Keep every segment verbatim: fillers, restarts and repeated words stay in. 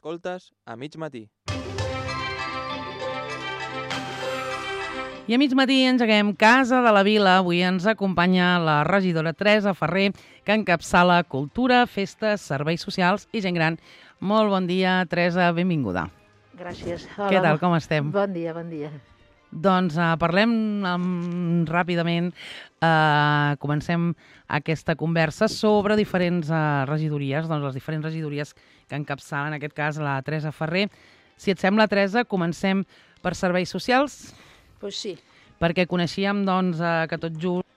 Escoltes a mig matí. I a mig matí engeguem Casa de la Vila. Avui ens acompanya la regidora Teresa Ferrer, que encapçala cultura, festes, serveis socials i gent gran. Molt bon dia, Teresa, benvinguda. Gràcies. Hola, Què tal, com estem? Bon dia, bon dia. Doncs uh, parlem um, ràpidament, uh, comencem aquesta conversa sobre diferents uh, regidories, doncs les diferents regidories que encapçalen, en aquest cas, la Teresa Ferrer. Si et sembla, Teresa, comencem per serveis socials? Pues sí. Perquè coneixíem doncs, uh, que tot just,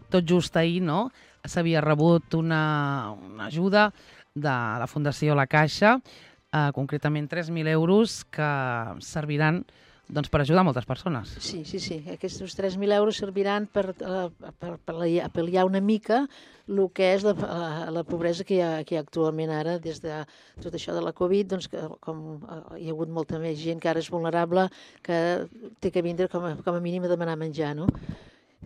tot just ahir no, s'havia rebut una, una ajuda de la Fundació La Caixa, uh, concretament tres mil euros, que serviran doncs, per ajudar moltes persones. Sí, sí, sí. Aquests tres mil euros serviran per, per, per, per pal·liar una mica el que és la, la, la pobresa que hi, ha, que hi ha actualment ara, des de tot això de la Covid, doncs, que, com hi ha hagut molta més gent que ara és vulnerable, que té que vindre com a, com a mínim a demanar menjar, no?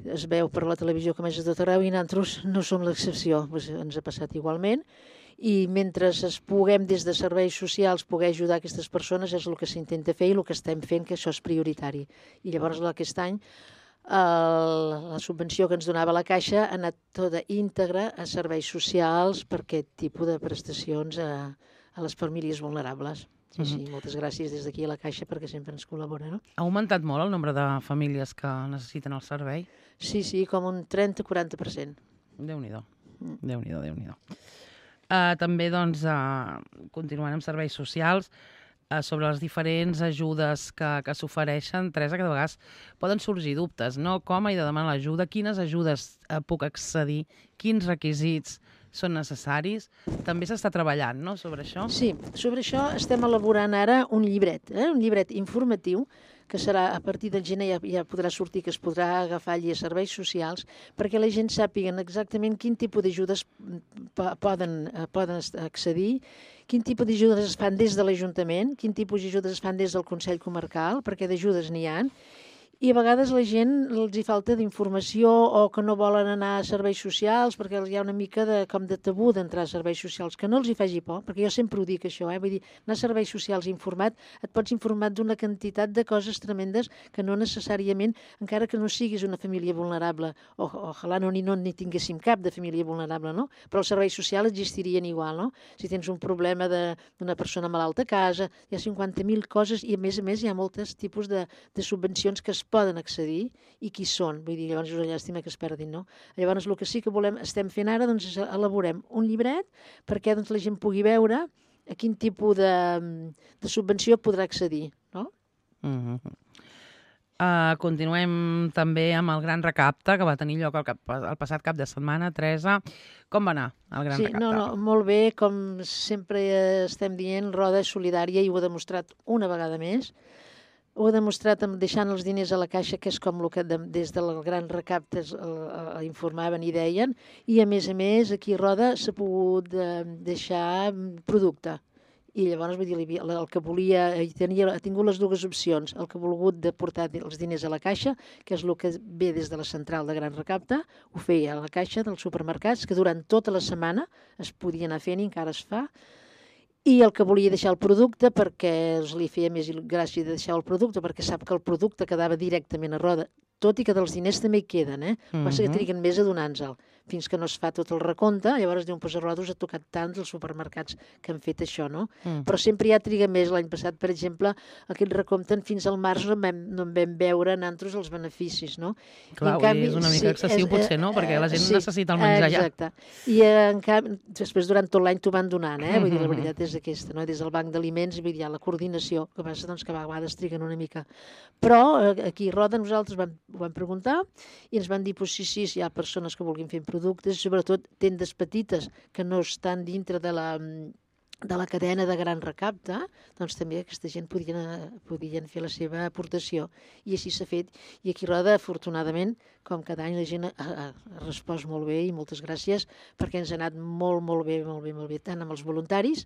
Es veu per la televisió com és a tot arreu i nosaltres no som l'excepció, doncs ens ha passat igualment. I mentre es puguem des de serveis socials poder ajudar aquestes persones és el que s'intenta fer i el que estem fent, que això és prioritari. I llavors aquest any el, la subvenció que ens donava la Caixa ha anat tota íntegra a serveis socials per aquest tipus de prestacions a, a les famílies vulnerables. Sí, sí, uh-huh. Moltes gràcies des d'aquí a la Caixa perquè sempre ens col·labora, no? Ha augmentat molt el nombre de famílies que necessiten el servei? Sí, sí, com un trenta a quaranta per cent. Déu-n'hi-do, mm. Déu-n'hi-do, Déu-n'hi-do. Uh, també, doncs, uh, continuant amb serveis socials, uh, sobre les diferents ajudes que, que s'ofereixen, Teresa, que de vegades poden sorgir dubtes, no? Com he de demanar l'ajuda? Quines ajudes uh, puc accedir? Quins requisits són necessaris? També s'està treballant, no?, sobre això? Sí, sobre això estem elaborant ara un llibret, eh? un llibret informatiu, que serà a partir del gener, ja, ja podrà sortir, que es podrà agafar allí a serveis socials, perquè la gent sàpiguen exactament quin tipus d'ajudes poden, poden accedir, quin tipus d'ajudes es fan des de l'Ajuntament, quin tipus d'ajudes es fan des del Consell Comarcal, perquè d'ajudes n'hi ha, i a vegades la gent els hi falta d'informació o que no volen anar a serveis socials perquè hi ha una mica de, com de tabú d'entrar a serveis socials, que no els hi faci por, perquè jo sempre ho dic això, eh? Vull dir, anar a serveis socials informat, et pots informar d'una quantitat de coses tremendes que no necessàriament, encara que no siguis una família vulnerable, o ojalà no ni, no ni tinguéssim cap de família vulnerable, no? Però els serveis socials existirien igual, no? Si tens un problema d'una persona malalta a casa, hi ha cinquanta mil coses i a més a més hi ha molts tipus de, de subvencions que es poden accedir i qui són, vull dir, llavors és una llàstima que es perdin, no? Llavors el que sí que volem, estem fent ara, doncs elaborem un llibret perquè doncs, la gent pugui veure a quin tipus de, de subvenció podrà accedir, no? Mm-hmm. Uh, continuem també amb el Gran Recapte, que va tenir lloc el, cap, el passat cap de setmana. Teresa, com va anar el Gran sí, Recapte? No, no, molt bé, com sempre estem dient, Roda és solidària i ho ha demostrat una vegada més. Ho ha demostrat deixant els diners a la Caixa, que és com el que de, des del Gran Recapte informaven i deien, i a més a més aquí a Roda s'ha pogut eh, deixar producte. I llavors vull dir, el que volia, tenia, ha tingut les dues opcions, el que ha volgut de portar els diners a la Caixa, que és el que ve des de la central de Gran Recapte, ho feia a la Caixa dels supermercats, que durant tota la setmana es podia anar fent i encara es fa, i el que volia deixar el producte perquè els li feia més gràcia de deixar el producte perquè sap que el producte quedava directament a Roda, tot i que dels diners també hi queden, eh? Mm-hmm. Passa que triguen més a donar-nos-el, fins que no es fa tot el recompte, llavors diuen, pues a Roda us ha tocat tant els supermercats que han fet això, no? Mm. Però sempre ja triga més. L'any passat, per exemple, aquest recompte fins al març no en vam, no en vam veure nosaltres els beneficis, no? Clar, I canvi, és una mica sí, excessiu és, potser, no? Perquè la gent sí, necessita el menjar ja. Exacte. I en canvi, després durant tot l'any t'ho van donant, eh? Vull dir, la veritat és aquesta, no? Des del Banc d'Aliments, vull dir, la coordinació, que passa doncs, que a vegades triguen una mica. Però aquí a Roda nosaltres vam, ho vam preguntar i ens van dir, pues, sí, sí, hi ha persones que vulguin fer productes, sobretot tendes petites que no estan dintre de la, de la cadena de Gran Recapte, doncs també aquesta gent podien, podien fer la seva aportació. I així s'ha fet. I aquí a Roda, afortunadament, com cada any la gent ha, ha, ha respost molt bé i moltes gràcies perquè ens ha anat molt, molt bé, molt bé, molt bé, tant amb els voluntaris,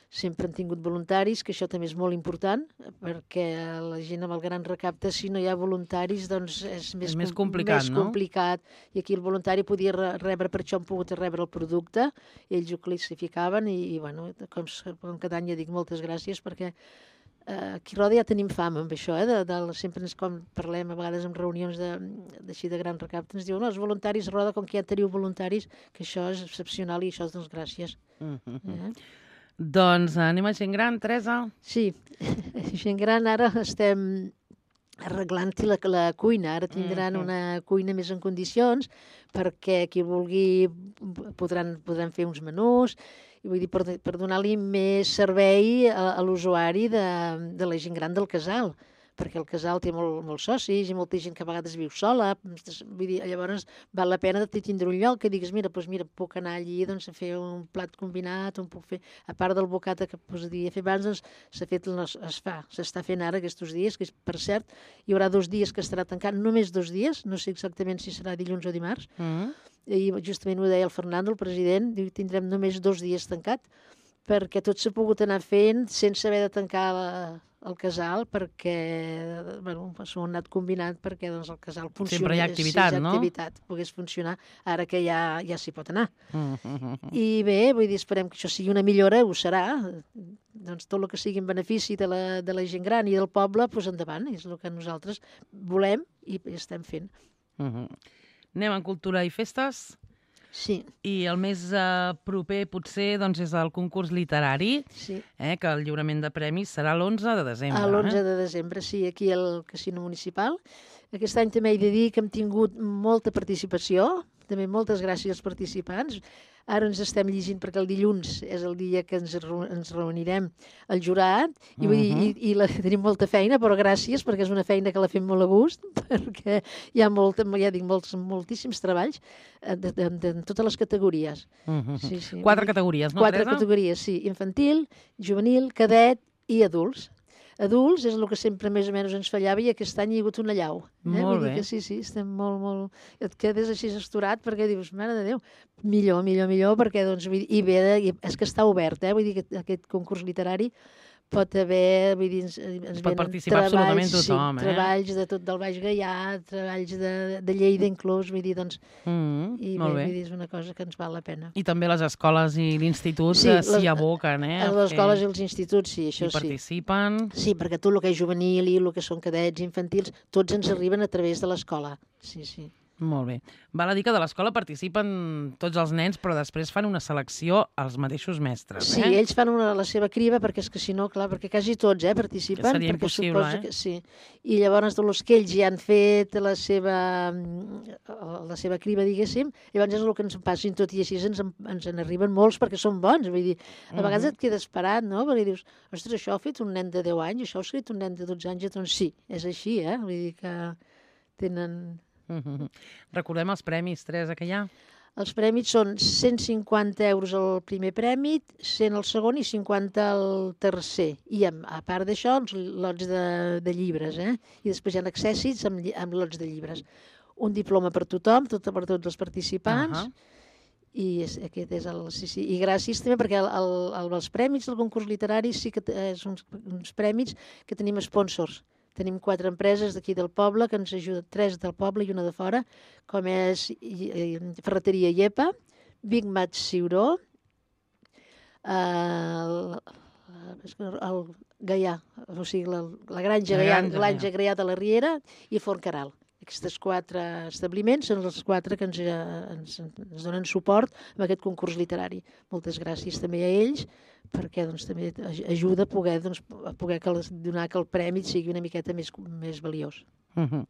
sempre han tingut voluntaris, que això també és molt important, perquè la gent amb el gran recapte, si no hi ha voluntaris, doncs és més, és més complicat, més no? complicat. I aquí el voluntari podia rebre, per això han pogut rebre el producte, ells ho classificaven i, i bueno, com, com cada any ja dic moltes gràcies, perquè eh, aquí a Roda ja tenim fama amb això, eh, de, de, sempre ens, com parlem a vegades en reunions d'així de, de gran recapte, ens diuen, no, els voluntaris a Roda, com que ja teniu voluntaris, que això és excepcional i això és doncs gràcies. Mm-hmm. eh? Doncs anem a gent gran, Teresa. Sí, gent gran ara estem arreglant la, la cuina. Ara tindran Mm-hmm. una cuina més en condicions perquè qui vulgui podran, podran fer uns menús i vull dir, per, per donar-li més servei a, a l'usuari de, de la gent gran del casal, perquè el casal té molt, molts socis i molta gent que a vegades viu sola. Vull dir, llavors val la pena de tindre un lloc que digues, mira, doncs mira, puc anar allí doncs, a fer un plat combinat, on puc fer, a part del bocata que podia fer abans, doncs s'ha fet, es fa, s'està fent ara aquests dies, que per cert, hi haurà dos dies que estarà tancat, només dos dies, no sé exactament si serà dilluns o dimarts, Mm-hmm. i justament ho deia el Fernando, el president, diu, tindrem només dos dies tancat, perquè tot s'ha pogut anar fent sense haver de tancar la, el casal, perquè bueno, s'ho han anat combinant perquè doncs, el casal funciona. Sempre hi ha activitat, sí, no? activitat, pogués funcionar, ara que ja, ja s'hi pot anar. Mm-hmm. I bé, vull dir, esperem que això sigui una millora, ho serà, doncs tot el que sigui en benefici de la, de la gent gran i del poble, doncs endavant, és el que nosaltres volem i estem fent. Mm-hmm. Anem en cultura i festes. Sí. I el més uh, proper, potser, doncs, és el concurs literari, Sí. eh, que el lliurament de premis serà l'onze de desembre. A l'onze eh? de desembre, sí, aquí al Casino Municipal. Aquest any també he de dir que hem tingut molta participació, també moltes gràcies als participants. Ara ens estem llegint perquè el dilluns és el dia que ens, ens reunirem al jurat i, vull dir, Uh-huh. i, i la, tenim molta feina, però gràcies perquè és una feina que la fem molt a gust, perquè hi ha, molta, ja dic, molts, moltíssims treballs de, de, de, de totes les categories. Uh-huh. Sí, sí. Quatre categories, no, Quatre Teresa? categories, sí. Infantil, juvenil, cadet i adults. Adults és el que sempre més o menys ens fallava i aquest any hi ha hagut una llau. Eh? Molt Vull bé. dir que sí, sí, estem molt, molt... Et quedes així estorat perquè dius, mare de Déu, millor, millor, millor, perquè doncs, vull dir, i bé, de, i és que està obert, eh? Vull dir que aquest concurs literari pot haver, vull dir, ens, ens Pot venen participar treballs, absolutament tothom, sí, eh? treballs de tot del Baix Gaià, treballs de, de Lleida inclús, vull dir, doncs, Mm, i molt bé, bé. vull dir, és una cosa que ens val la pena. I també les escoles i l'institut Sí, eh, les- s'hi aboquen, eh? A a les fer- escoles i els instituts, sí, això Hi sí. participen. Sí, perquè tot el que és juvenil i el que són cadets infantils, tots ens arriben a través de l'escola. Sí, sí. Molt bé. Val a dir que de l'escola participen tots els nens, però després fan una selecció als mateixos mestres, Sí, eh? ells fan una, la seva criba, perquè és que si no, clar, perquè quasi tots eh, participen. Que seria perquè impossible, suposo eh? Que, sí. I llavors, de los que ells ja han fet la seva, la seva criba, diguéssim, llavors és el que ens passin tot i així ens, en- ens en arriben molts perquè són bons. Vull dir, a vegades Mhm. et quedes parat, no? Perquè dius, ostres, això ho ha fet un nen de deu anys, això ho ha fet un nen de dotze anys, doncs sí, és així, eh? Vull dir que tenen... Mhm. Recordem els premis, Teresa, que hi ha. Els premis són cent cinquanta euros el primer premi, cent el segon i cinquanta el tercer. I a, a part d'això, els lots de, de llibres, eh? I després hi ha accèssits amb, lli- amb lots de llibres. Un diploma per tothom, tot, per tots els participants, Ahà. i és, aquest és el... Sí, sí. I gràcies també perquè el, el, el, els premis del concurs literari sí que t- són uns, uns premis que tenim sponsors. Tenim quatre empreses d'aquí del poble que ens ajuden, tres del poble i una de fora, com és i- i- Ferreteria Iepa, Big Mat Ciuró, el, el Gaià, o sigui, la, la Granja La Gaià, Granja Granja Gaià de la Riera i Forn Caral. Aquests quatre establiments són els quatre que ens, eh, ens, ens donen suport amb aquest concurs literari. Moltes gràcies també a ells, perquè doncs, també aj- ajuda a poder, doncs, a poder que les, donar que el premi sigui una miqueta més, més valiós. Mhm.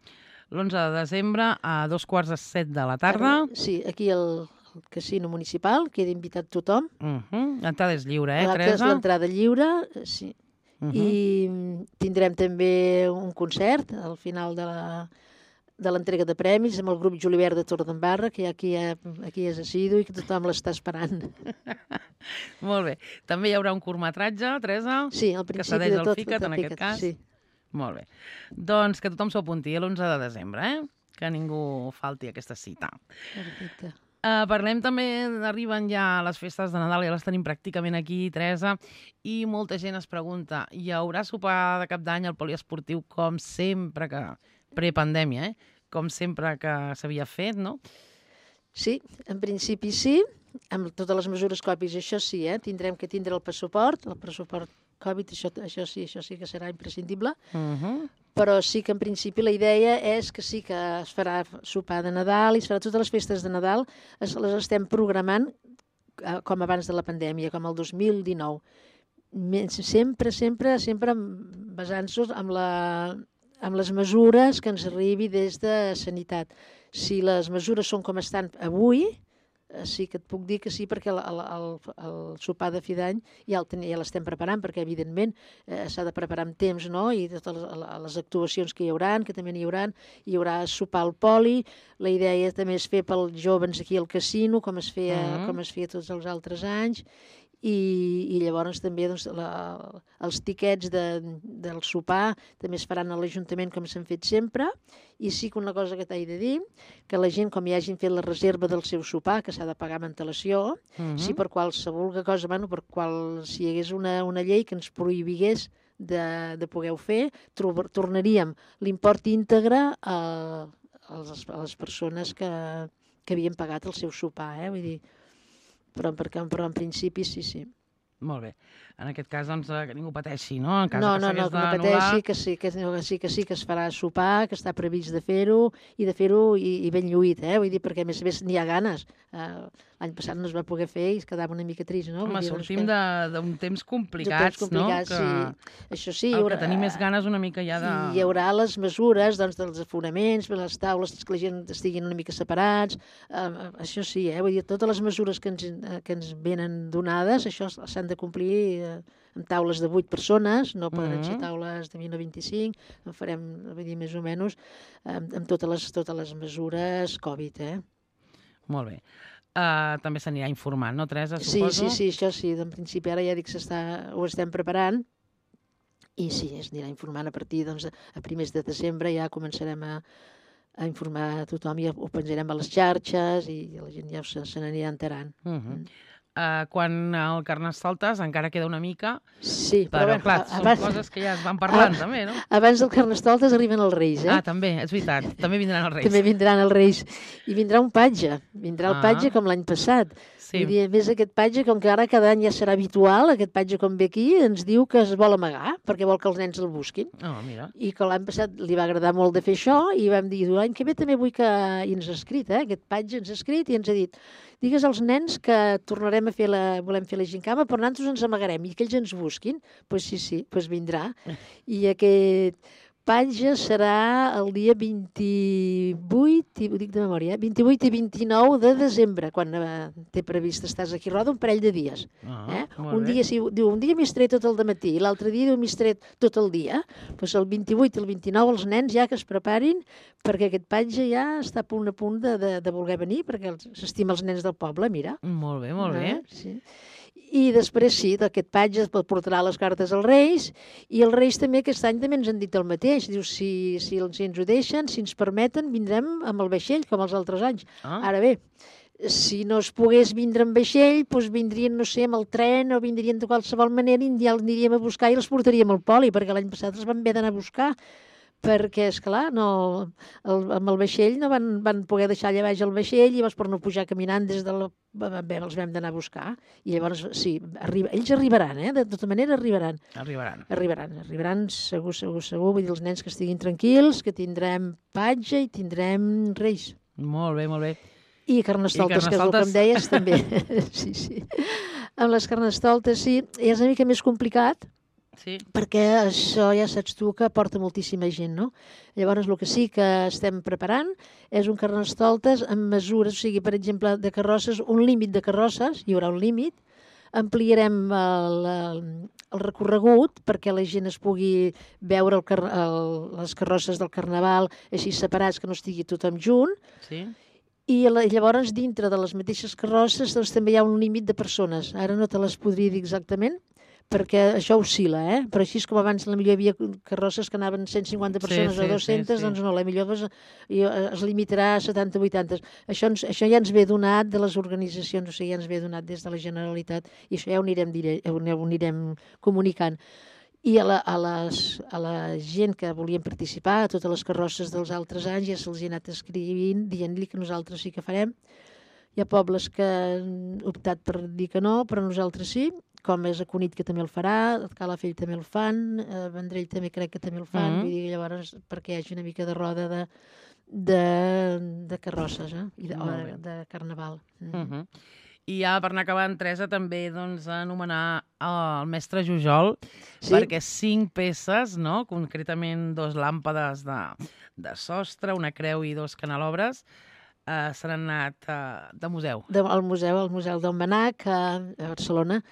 L'onze de desembre a dos quarts de set de la tarda. Sí, aquí al, al Casino Municipal, queda invitat tothom. Mhm. L'entrada és lliure, eh, L'altre és Teresa? l'entrada lliure, eh, sí. Mhm. I mm, tindrem també un concert al final de la de l'entrega de premis amb el grup Julivert de Torredembarra, que aquí, aquí és assidu i que tothom l'està esperant. Molt bé. També hi haurà un curtmetratge, Teresa? Sí, al Que principi cedeix de el tot. FICAT, tot en el aquest FICAT, cas. Sí. Molt bé. Doncs que tothom s'ho apunti a l'onze de desembre, eh? Que ningú falti a aquesta cita. Perfecte. Uh, parlem també, arriben ja les festes de Nadal, ja les tenim pràcticament aquí, Teresa, i molta gent es pregunta, hi haurà sopar de cap d'any al poliesportiu com sempre que... prepandèmia, eh? Com sempre que s'havia fet, no? Sí, en principi sí, amb totes les mesures Covid, això sí, eh? Tindrem que tindre el passaport, el passaport Covid, això, això sí, això sí que serà imprescindible, Uh-huh. però sí que en principi la idea és que sí que es farà sopar de Nadal i es farà totes les festes de Nadal, es, les estem programant eh, com abans de la pandèmia, com el dos mil dinou. Sempre, sempre, sempre basant-nos amb, la, amb les mesures que ens arribi des de Sanitat. Si les mesures són com estan avui, sí que et puc dir que sí, perquè el, el, el, el sopar de fi d'any ja ja l'estem preparant, perquè evidentment eh, s'ha de preparar amb temps, no? I totes les, les actuacions que hi haurà, que també n'hi haurà, hi haurà sopar al poli, la idea també és fer pels joves aquí al casino, com es feia, uh-huh. com es feia tots els altres anys, i, i llavors també doncs, la, els tiquets de, del sopar també es faran a l'Ajuntament com s'han fet sempre, i sí que una cosa que t'he de dir, que la gent, com ja hagin fet la reserva del seu sopar, que s'ha de pagar amb antelació, uh-huh. si per qualsevol cosa, bueno, per qual, si hi hagués una, una llei que ens prohibigués de, de poder fer, tornaríem l'import íntegre a, a, les, a les persones que, que havien pagat el seu sopar, eh? Vull dir, Però, perquè, però en principi sí, sí. Molt bé. En aquest cas, doncs, que ningú pateixi, no? En cas no, que no, no, que no pateixi, que sí que, que sí, que sí que es farà sopar, que està previst de fer-ho, i de fer-ho i, i ben lluït, eh? Vull dir, perquè a més a més n'hi ha ganes. Uh, L'any passat no es va poder fer i es quedava una mica trist, no? Home, dir, sortim que... d'un temps complicats, temps complicats, no? Sí. Que... Això sí, el haurà... que tenim més ganes una mica ja de... Hi haurà les mesures, doncs, dels aforaments, les taules, que la gent estiguin una mica separats, uh, això sí, eh? Vull dir, totes les mesures que ens, que ens venen donades, això s'han de complir uh, amb taules de vuit persones, no poden ser Mm-hmm. taules de vint o vint-i-cinc, en farem, vull dir, més o menys, amb, amb totes, les, totes les mesures Covid, eh? Molt bé. Uh, també s'anirà informant, no, Teresa, Sí, suposo? sí, sí, això sí, en principi ara ja dic que ho estem preparant, i sí, es anirà informant a partir, doncs, a primers de desembre ja començarem a, a informar a tothom i ho penjarem a les xarxes i la gent ja se, se n'anirà enterant. Uh-huh. Uh, quan el Carnestoltes encara queda una mica, sí, però, però clar, abans, són coses que ja es van parlant, a, també, no? Abans del Carnestoltes arriben els Reis, eh? Ah, també, és veritat, també vindran els Reis. També vindran els Reis. I vindrà un patge, vindrà el Ah. patge com l'any passat. Sí. Vull dir, a més, aquest patge, com que ara cada any ja serà habitual, aquest patge com ve aquí, ens diu que es vol amagar, perquè vol que els nens el busquin. Oh, mira. I que l'any passat li va agradar molt de fer això, i vam dir, l'any que ve també vull que... I ens ha escrit, eh? Aquest patge ens ha escrit i ens ha dit, digues als nens que tornarem a fer la... volem fer la gincama, però nosaltres ens amagarem, i que ells ens busquin. Doncs pues sí, sí, pues vindrà. I aquest patge serà el dia vint-i-vuit, ho dic de memòria, vint-i-vuit i vint-i-nou de desembre, quan eh, té previst estàs aquí, roda un parell de dies. Ah, Eh? molt Un bé. dia, si, diu, un dia m'hi estaré tot el dematí i l'altre dia diu m'hi estaré tot el dia. Doncs el vint-i-vuit i el vint-i-nou els nens ja que es preparin perquè aquest patge ja està a punt a punt de, de, de voler venir perquè els- s'estima els nens del poble, mira. Molt bé, molt bé. Ah, sí. I després sí, d'aquest patge es portarà les cartes als Reis, i els Reis també aquest any també ens han dit el mateix. Diu, si, si, si ens ho deixen, si ens permeten, vindrem amb el vaixell, com els altres anys. Ah. Ara bé, si no es pogués vindre amb vaixell, doncs vindrien, no sé, amb el tren o vindrien de qualsevol manera i ja els aniríem a buscar i els portaríem al poli, perquè l'any passat els vam haver d'anar a buscar, perquè, esclar, no, el, amb el vaixell no van, van poder deixar allà baix el vaixell i llavors per no pujar caminant des de la... Bé, els vam d'anar a buscar. I llavors, sí, arriba, ells arribaran, eh? De tota manera arribaran. Arribaran. Arribaran, arribaran segur, segur, segur. Vull dir, els nens que estiguin tranquils, que tindrem patge i tindrem Reis. Molt bé, molt bé. I carnestoltes, I que és el que carnestoltes. em deies, també. Sí, sí. Amb les carnestoltes, sí, és una mica més complicat, Sí. perquè això ja saps tu que porta moltíssima gent, no? Llavors, el que sí que estem preparant és un carnestoltes amb mesures, o sigui, per exemple, de carrosses, un límit de carrosses, hi haurà un límit, ampliarem el, el, el recorregut perquè la gent es pugui veure el, car el, les carrosses del Carnaval així separats, que no estigui tothom junt, Sí. i la, llavors dintre de les mateixes carrosses doncs, també hi ha un límit de persones. Ara no te les podria dir exactament, perquè això oscil·la, eh? Però així com abans la millor hi havia carrosses que anaven cent cinquanta persones sí, sí, o dues-centes, sí, sí. doncs no, la millor es, es limitarà a setanta o vuitanta. Això, ens, això ja ens ve donat de les organitzacions, o sigui, ja ens ve donat des de la Generalitat, i això ja ho anirem, dire, ho anirem comunicant. I a la, a, les, a la gent que volien participar, a totes les carrosses dels altres anys, ja se'ls ha anat escrivint, dient-li que nosaltres sí que farem. Hi ha pobles que han optat per dir que no, però nosaltres sí, com és a Cunit, que també el farà, Calafell també el fan, a Vendrell també crec que també el fan, mm-hmm. Vull dir, llavors perquè hi hagi una mica de roda de, de, de carrosses, eh? I de, de, de carnaval. Mm. Mm-hmm. I ja per anar acabant, Teresa, també doncs, anomenar el mestre Jujol, sí? Perquè cinc peces, no? Concretament dos làmpades de, de sostre, una creu i dos canelobres, Uh, s'han anat uh, de museu. De, al museu, al Museu del Manac, a, a Barcelona,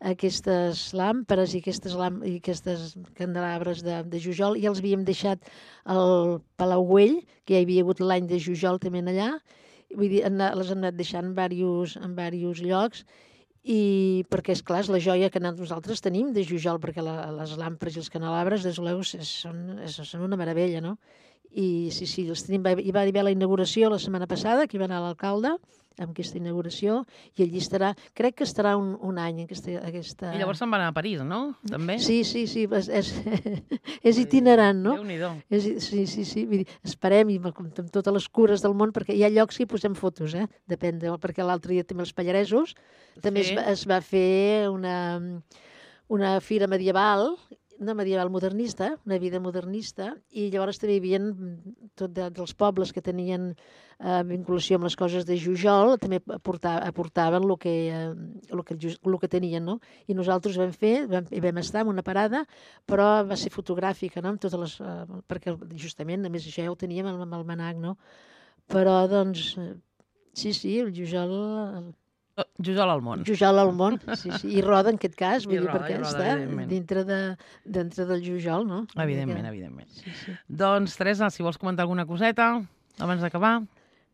aquestes làmperes i aquestes, làmp i aquestes candelabres de, de Jujol, i els havíem deixat al Palau Güell, que ja hi havia hagut l'any de Jujol també allà, vull dir, les hem anat deixant en diversos, en diversos llocs, i perquè, esclar, és la joia que nosaltres tenim de Jujol, perquè la, les làmperes i els canelabres, des de són, són una meravella, no? I sí, sí, els tenim. Hi va haver la inauguració la setmana passada, que hi va anar l'alcalde amb aquesta inauguració, i allí estarà, crec que estarà un, un any aquesta, aquesta... I llavors se'n va anar a París, no? També? Sí, sí, sí, és, és, és itinerant, no? Déu-n'hi-do. És, sí, sí, sí, vull dir, esperem, i amb totes les cures del món, perquè hi ha llocs que hi posem fotos, eh? Depèn, de, perquè l'altre dia també els Pallaresos, també sí. es, va, es va fer una, una fira medieval, una medieval modernista, una vida modernista, i llavors també hi havia tot de, dels pobles que tenien eh, vinculació amb les coses de Jujol, també aportaven, aportaven el que, eh, el que, el que tenien, no? I nosaltres vam fer, vam, vam estar en una parada, però va ser fotogràfica, no? Amb totes les, eh, perquè justament, a més, això ja ho teníem amb el Manac, no? Però, doncs, sí, sí, el Jujol... El, Jujol al món. Jujol al món, sí, sí. I roda en aquest cas, vull I dir, roda, perquè roda, està dintre, de, dintre del Jujol, no? Evidentment, que... evidentment. Sí, sí. Doncs, Teresa, si vols comentar alguna coseta abans d'acabar.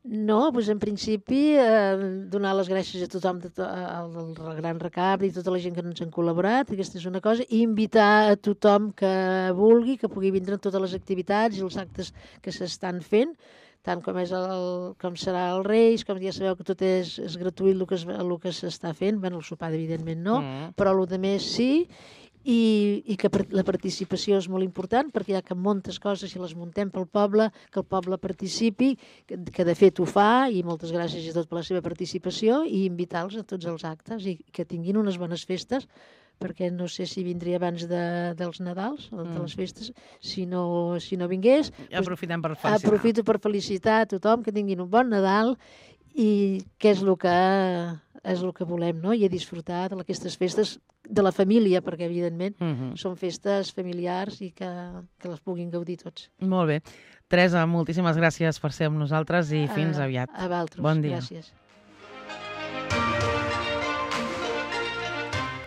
No, doncs en principi eh, donar les gràcies a tothom, de to al, al Gran Recapte i tota la gent que ens han col·laborat, aquesta és una cosa, i invitar a tothom que vulgui, que pugui vindre a totes les activitats i els actes que s'estan fent, tant com, és el, com serà el Reis, com ja sabeu que tot és, és gratuït el que, es, el que s'està fent, bueno, el sopar evidentment no, mm. però el de més sí, i, i que la participació és molt important, perquè hi ha que moltes coses, si les muntem pel poble, que el poble participi, que, que de fet ho fa, i moltes gràcies a tot per la seva participació, i invitar-los a tots els actes, i que tinguin unes bones festes, perquè no sé si vindria abans de, dels Nadals, o de mm. les festes, si no, si no vingués. Aprofitem per felicitar. Aprofito per felicitar a tothom, que tinguin un bon Nadal, i què és el que, és el que volem, no? I a disfrutar d'aquestes festes de la família, perquè evidentment mm -hmm. són festes familiars i que, que les puguin gaudir tots. Molt bé. Teresa, moltíssimes gràcies per ser amb nosaltres i fins a, aviat. A vosaltres, bon dia. Gràcies.